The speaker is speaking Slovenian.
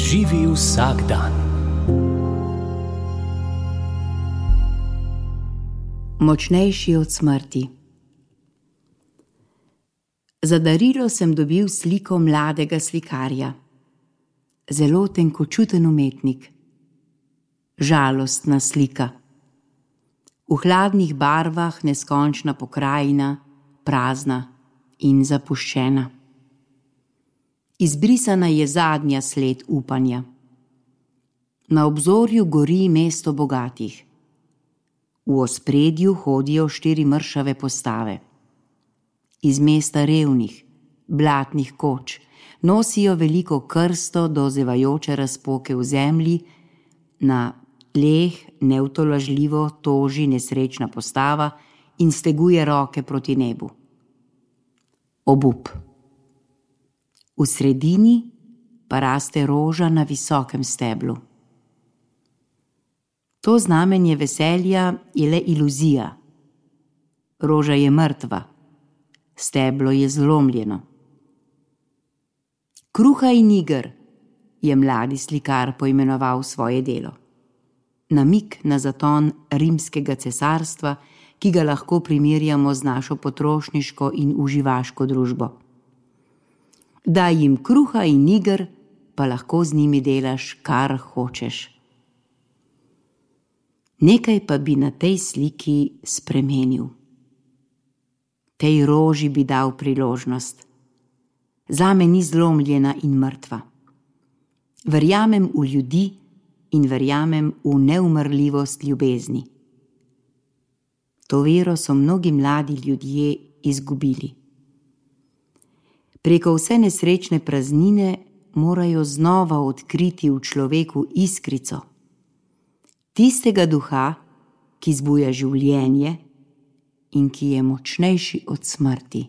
Živi vsak dan. Močnejši od smrti. Za darilo sem dobil sliko mladega slikarja. Zelo tenkočuten umetnik. Žalostna slika. V hladnih barvah neskončna pokrajina, prazna in zapuščena. Izbrisana je zadnja sled upanja. Na obzorju gori mesto bogatih. V ospredju hodijo 4 mršave postave. Iz mesta revnih, blatnih koč nosijo veliko krsto do zevajoče razpoke v zemlji, na tleh neutolažljivo toži nesrečna postava in steguje roke proti nebu. Obup. V sredini pa raste roža na visokem steblu. To znamenje veselja je le iluzija. Roža je mrtva, steblo je zlomljeno. Kruha in iger je mladi slikar poimenoval svoje delo. Namig na zaton rimskega cesarstva, ki ga lahko primerjamo z našo potrošniško in uživaško družbo. Daj jim kruha in iger, pa lahko z njimi delaš, kar hočeš. Nekaj pa bi na tej sliki spremenil. Tej roži bi dal priložnost. Zame ni zlomljena in mrtva. Verjamem v ljudi in verjamem v neumrljivost ljubezni. To vero so mnogi mladi ljudje izgubili. Preko vse nesrečne praznine morajo znova odkriti v človeku iskrico, tistega duha, ki zbuja življenje in ki je močnejši od smrti.